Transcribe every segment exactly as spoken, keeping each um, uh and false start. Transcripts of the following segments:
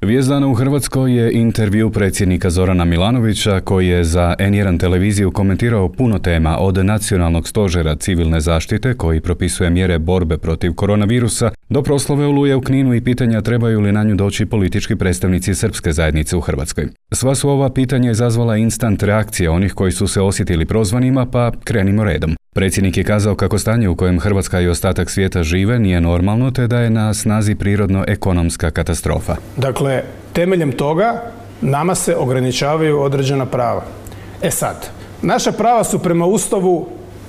Vijest dana u Hrvatskoj je intervju predsjednika Zorana Milanovića koji je za en jedan televiziju komentirao puno tema od nacionalnog stožera civilne zaštite koji propisuje mjere borbe protiv koronavirusa do proslave Oluje u Kninu i pitanja trebaju li na nju doći politički predstavnici srpske zajednice u Hrvatskoj. Sva su ova pitanja izazvala instant reakcije onih koji su se osjetili prozvanima, pa krenimo redom. Predsjednik je kazao kako stanje u kojem Hrvatska i ostatak svijeta žive nije normalno te da je na snazi prirodno-ekonomska katastrofa. Dakle, temeljem toga nama se ograničavaju određena prava. E sad, naša prava su prema Ustavu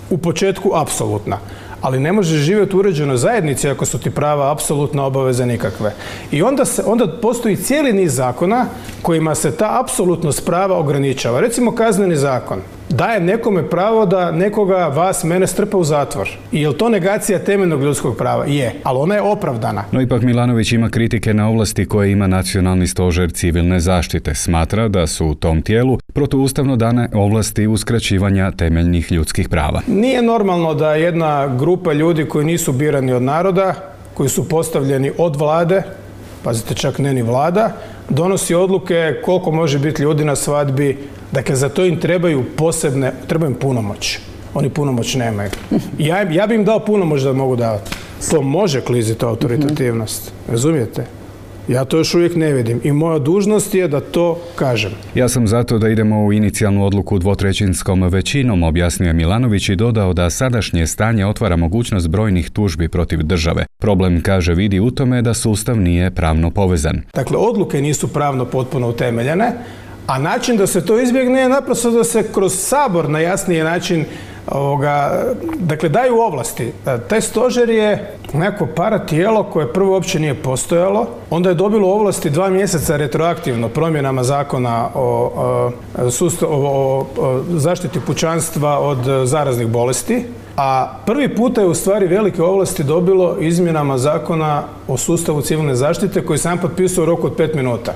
u početku apsolutna, ali ne možeš živjeti u uređenoj zajednici ako su ti prava apsolutno obaveze nikakve. I onda, se, onda postoji cijeli niz zakona kojima se ta apsolutnost prava ograničava. Recimo kazneni zakon daje nekome pravo da nekoga, vas, mene strpa u zatvor. I je li to negacija temeljnog ljudskog prava? Je, ali ona je opravdana. No ipak Milanović ima kritike na ovlasti koje ima Nacionalni stožer civilne zaštite. Smatra da su u tom tijelu protuustavno dane ovlasti uskraćivanja temeljnih ljudskih prava. Nije normalno da jedna grupa ljudi koji nisu birani od naroda, koji su postavljeni od vlade, pazite čak ne ni vlada, donosi odluke koliko može biti ljudi na svadbi. Dakle, za to im trebaju posebne, trebaju im punomoć. Oni punomoć nemaju. Ja, ja bi im dao punomoć da mogu davati. To može kliziti autoritativnost. Razumijete? Ja to još uvijek ne vidim i moja dužnost je da to kažem. Ja sam zato da idemo u inicijalnu odluku dvotrećinskom većinom, objasnio je Milanović i dodao da sadašnje stanje otvara mogućnost brojnih tužbi protiv države. Problem, kaže, vidi u tome da sustav nije pravno povezan. Dakle, odluke nisu pravno potpuno utemeljene, a način da se to izbjegne je naprosto da se kroz Sabor na jasniji način ovoga, dakle, daju ovlasti. Taj stožer je neko paratijelo koje prvo uopće nije postojalo, onda je dobilo ovlasti dva mjeseca retroaktivno promjenama zakona o, o, sustav, o, o, o zaštiti pučanstva od zaraznih bolesti, a prvi puta je u stvari velike ovlasti dobilo izmjenama zakona o sustavu civilne zaštite koji sam potpisao u roku od pet minuta.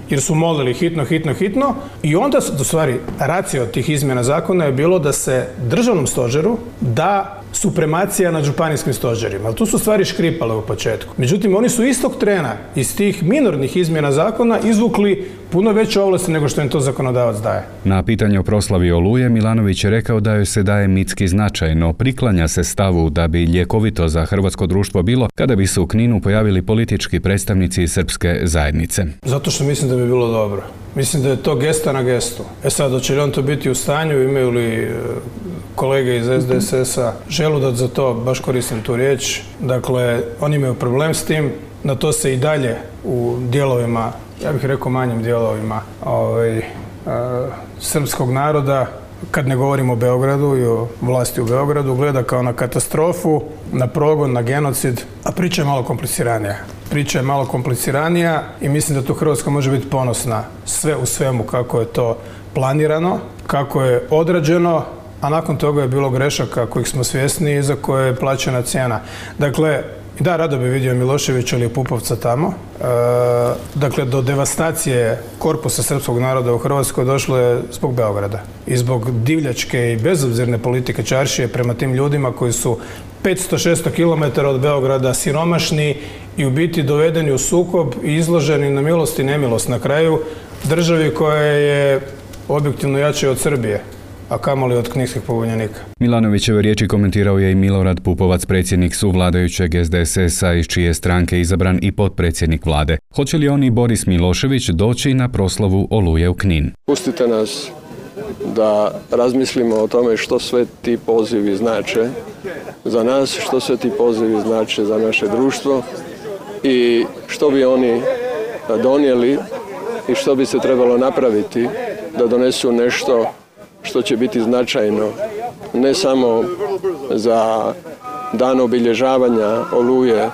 Jer su molili hitno, hitno, hitno i onda, u stvari, racija od tih izmjena zakona je bilo da se državnom stožeru da supremacija nad županijskim stožerima. Ali tu su stvari škripale u početku. Međutim, oni su istog trena iz tih minornih izmjena zakona izvukli puno veće ovlasti nego što im to zakonodavac daje. Na pitanje o proslavi Oluje Milanović je rekao da joj se daje mitski značaj, no priklanja se stavu da bi ljekovito za hrvatsko društvo bilo kada bi se u Kninu pojavili politički predstavnici srpske zajednice. Zato što mislim da bi bilo dobro. Mislim da je to gesta na gestu. E sad, hoće li on to biti u stanju, imaju li kolege iz es de es es-a želudac za to, baš koristim tu riječ. Dakle, oni imaju problem s tim, na to se i dalje u dijelovima, ja bih rekao manjim dijelovima ovaj, a, srpskog naroda, kad ne govorimo o Beogradu i o vlasti u Beogradu, gleda kao na katastrofu, na progon, na genocid, a priča je malo kompliciranija. Priča je malo kompliciranija i mislim da tu Hrvatska može biti ponosna sve u svemu kako je to planirano, kako je odrađeno, a nakon toga je bilo grešaka kojih smo svjesni i za koje je plaćena cijena. Dakle, da, rado bi vidio Miloševića ili Pupovca tamo. E, dakle, do devastacije korpusa srpskog naroda u Hrvatskoj došlo je zbog Beograda i zbog divljačke i bezobzirne politike čaršije prema tim ljudima koji su petsto do šesto kilometara od Beograda siromašni i u biti dovedeni u sukob i izloženi na milost i nemilost na kraju državi koja je objektivno jača od Srbije, a kamoli od knjigskih pobunjenika. Milanovićeve riječi komentirao je i Milorad Pupovac, predsjednik suvladajućeg es de es es-a iz čije stranke izabran i potpredsjednik vlade. Hoće li on i Boris Milošević doći na proslavu Oluje u Knin? Pustite nas da razmislimo o tome što sve ti pozivi znače za nas, što sve ti pozivi znače za naše društvo i što bi oni donijeli i što bi se trebalo napraviti da donesu nešto što će biti značajno ne samo za dan obilježavanja Oluje,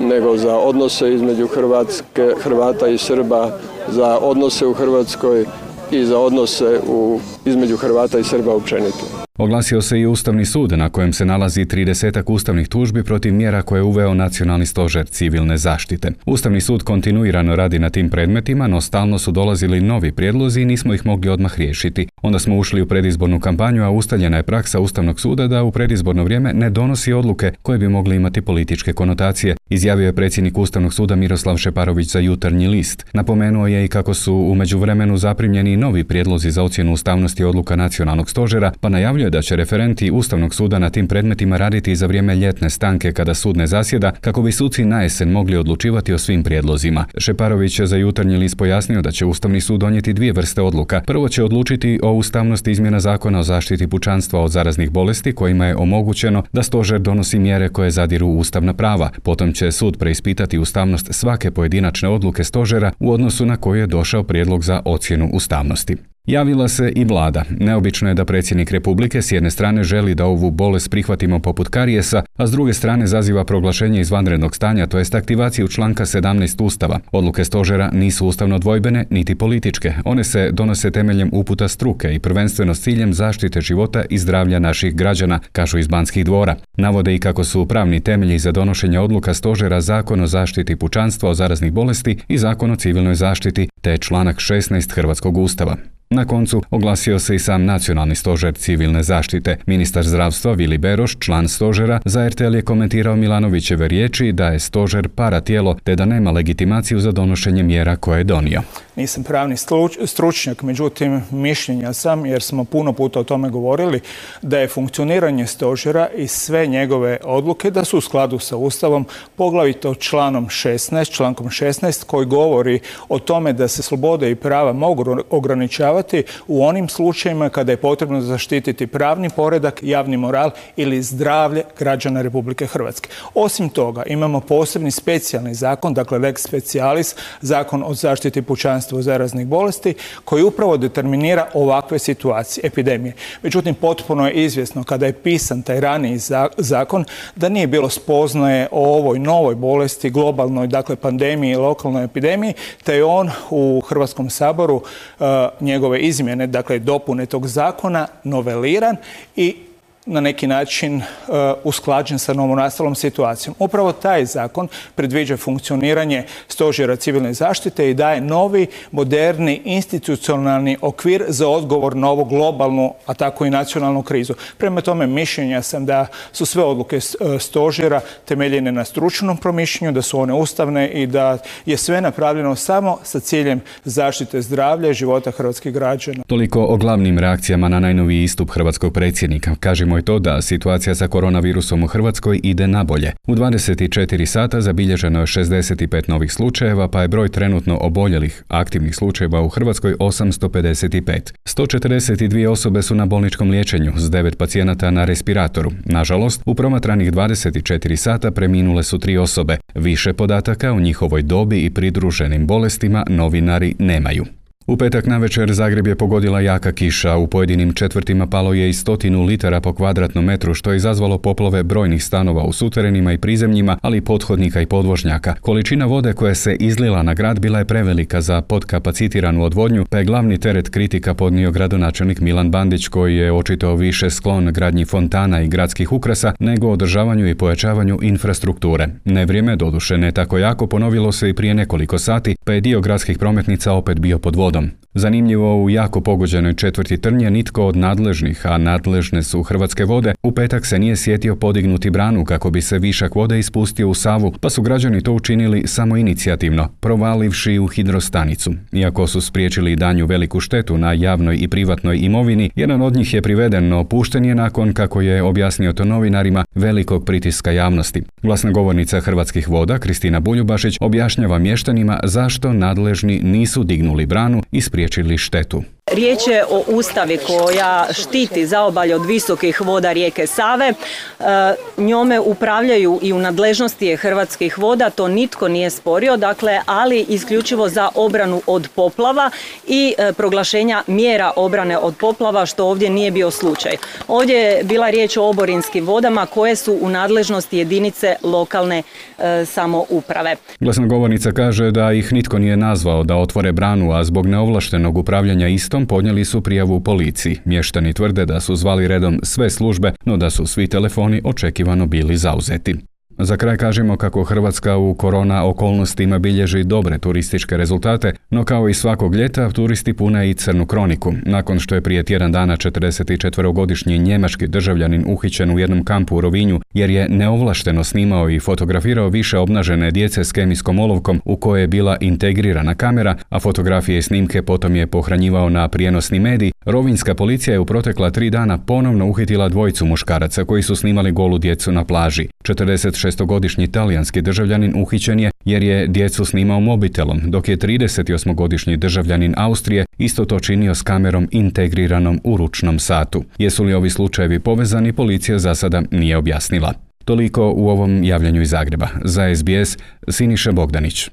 nego za odnose između Hrvatske, Hrvata i Srba, za odnose u Hrvatskoj i za odnose u, između Hrvata i Srba općenito. Oglasio se i Ustavni sud na kojem se nalazi tridesetak ustavnih tužbi protiv mjera koje je uveo Nacionalni stožer civilne zaštite. Ustavni sud kontinuirano radi na tim predmetima, no stalno su dolazili novi prijedlozi i nismo ih mogli odmah riješiti. Onda smo ušli u predizbornu kampanju, a ustaljena je praksa Ustavnog suda da u predizborno vrijeme ne donosi odluke koje bi mogli imati političke konotacije, izjavio je predsjednik Ustavnog suda Miroslav Šeparović za Jutarnji list. Napomenuo je i kako su u međuvremenu zaprimljeni novi prijedlozi za ocjenu ustavnosti odluka Nacionalnog stožera, pa najavljuje da će referenti Ustavnog suda na tim predmetima raditi za vrijeme ljetne stanke kada sud ne zasjeda, kako bi suci na jesen mogli odlučivati o svim prijedlozima. Šeparović je za Jutarnji list pojasnio da će Ustavni sud donijeti dvije vrste odluka. Prvo će odlučiti o ustavnosti izmjena Zakona o zaštiti pučanstva od zaraznih bolesti kojima je omogućeno da stožer donosi mjere koje zadiru u ustavna prava. Potom će sud preispitati ustavnost svake pojedinačne odluke stožera u odnosu na koju je došao prijedlog za ocjenu ustavnosti. Javila se i vlada. Neobično je da predsjednik Republike s jedne strane želi da ovu bolest prihvatimo poput karijesa, a s druge strane zaziva proglašenje izvanrednog stanja, to jest aktivaciju članka sedamnaest Ustava. Odluke stožera nisu ustavno dvojbene niti političke. One se donose temeljem uputa struke i prvenstveno s ciljem zaštite života i zdravlja naših građana, kažu iz Banskih dvora. Navode i kako su pravni temelji za donošenje odluka stožera Zakon o zaštiti pučanstva od zaraznih bolesti i Zakon o civilnoj zaštiti, te članak šesnaest Hrvatskog Ustava. Na koncu oglasio se i sam Nacionalni stožer civilne zaštite. Ministar zdravstva Vili Beroš, član stožera, za er te el je komentirao Milanovićeve riječi da je stožer paratijelo te da nema legitimaciju za donošenje mjera koje je donio. Nisam pravni stručnjak, međutim mišljenja sam, jer smo puno puta o tome govorili, da je funkcioniranje stožera i sve njegove odluke da su u skladu sa Ustavom, poglavito članom šesnaest, člankom šesnaest koji govori o tome da se slobode i prava mogu ograničavati u onim slučajevima kada je potrebno zaštititi pravni poredak, javni moral ili zdravlje građana Republike Hrvatske. Osim toga, imamo posebni specijalni zakon, dakle lex specialis, zakon o zaštiti pučanstva od zaraznih bolesti, koji upravo determinira ovakve situacije, epidemije. Međutim, potpuno je izvjesno kada je pisan taj raniji zakon da nije bilo spoznaje o ovoj novoj bolesti, globalnoj, dakle pandemiji i lokalnoj epidemiji, te je on u Hrvatskom saboru uh, njegove izmjene, dakle dopune tog zakona, noveliran i na neki način uh, usklađen sa novonastalom situacijom. Upravo taj zakon predviđa funkcioniranje stožera civilne zaštite i daje novi, moderni, institucionalni okvir za odgovor na ovu globalnu, a tako i nacionalnu krizu. Prema tome, mišljenja sam da su sve odluke stožera temeljene na stručnom promišljenju, da su one ustavne i da je sve napravljeno samo sa ciljem zaštite zdravlja i života hrvatskih građana. Toliko o glavnim reakcijama na najnoviji istup hrvatskog predsjednika. Kažemo je to da situacija sa koronavirusom u Hrvatskoj ide nabolje. U dvadeset četiri sata zabilježeno je šezdeset pet novih slučajeva, pa je broj trenutno oboljelih aktivnih slučajeva u Hrvatskoj osamsto pedeset pet. sto četrdeset dvije osobe su na bolničkom liječenju, s devet pacijenata na respiratoru. Nažalost, u promatranih dvadeset četiri sata preminule su tri osobe. Više podataka o njihovoj dobi i pridruženim bolestima novinari nemaju. U petak navečer Zagreb je pogodila jaka kiša, u pojedinim četvrtima palo je i stotinu litara po kvadratnom metru, što je izazvalo poplove brojnih stanova u suterenima i prizemljima, ali i pothodnika i podvožnjaka. Količina vode koja se izlila na grad bila je prevelika za podkapacitiranu odvodnju, pa je glavni teret kritika podnio gradonačelnik Milan Bandić, koji je očito više sklon gradnji fontana i gradskih ukrasa nego održavanju i pojačavanju infrastrukture. Nevrijeme, doduše ne tako jako, ponovilo se i prije nekoliko sati, pa je dio gradskih prometnica opet bio pod vodom. Zanimljivo, u jako pogođenoj četvrti Trnje nitko od nadležnih, a nadležne su Hrvatske vode, u petak se nije sjetio podignuti branu kako bi se višak vode ispustio u Savu, pa su građani to učinili samoinicijativno, provalivši u hidrostanicu. Iako su spriječili danju veliku štetu na javnoj i privatnoj imovini, jedan od njih je priveden, no pušten je nakon, kako je objasnio to novinarima, velikog pritiska javnosti. Glasnogovornica Hrvatskih voda, Kristina Buljubašić, objašnjava mještanima zašto nadležni nisu dignuli branu i spriječili štetu. Riječ je o ustavi koja štiti zaobalje od visokih voda rijeke Save. E, njome upravljaju i u nadležnosti je Hrvatskih voda, to nitko nije sporio, dakle, ali isključivo za obranu od poplava i e, proglašenja mjera obrane od poplava, što ovdje nije bio slučaj. Ovdje je bila riječ o oborinskim vodama koje su u nadležnosti jedinice lokalne e, samouprave. Glasnogovornica kaže da ih nitko nije nazvao da otvore branu, a zbog neovlaštenog upravljanja istom Zagrebom podnijeli su prijavu u policiji. Mještani tvrde da su zvali redom sve službe, no da su svi telefoni očekivano bili zauzeti. Za kraj kažemo kako Hrvatska u korona okolnostima bilježi dobre turističke rezultate, no kao i svakog ljeta turisti pune i crnu kroniku. Nakon što je prije tjedan dana četrdesetčetverogodišnji njemački državljanin uhićen u jednom kampu u Rovinju jer je neovlašteno snimao i fotografirao više obnažene djece s kemijskom olovkom u kojoj je bila integrirana kamera, a fotografije i snimke potom je pohranjivao na prijenosni medij, rovinjska policija je u protekla tri dana ponovno uhitila dvojicu muškaraca koji su snimali golu djecu na plaži. četrdesetšestogodišnji talijanski državljanin uhićen je jer je djecu snimao mobitelom, dok je tridesetosmogodišnji državljanin Austrije isto to činio s kamerom integriranom u ručnom satu. Jesu li ovi slučajevi povezani, policija za sada nije objasnila. Toliko u ovom javljanju iz Zagreba. Za S B S, Siniša Bogdanić.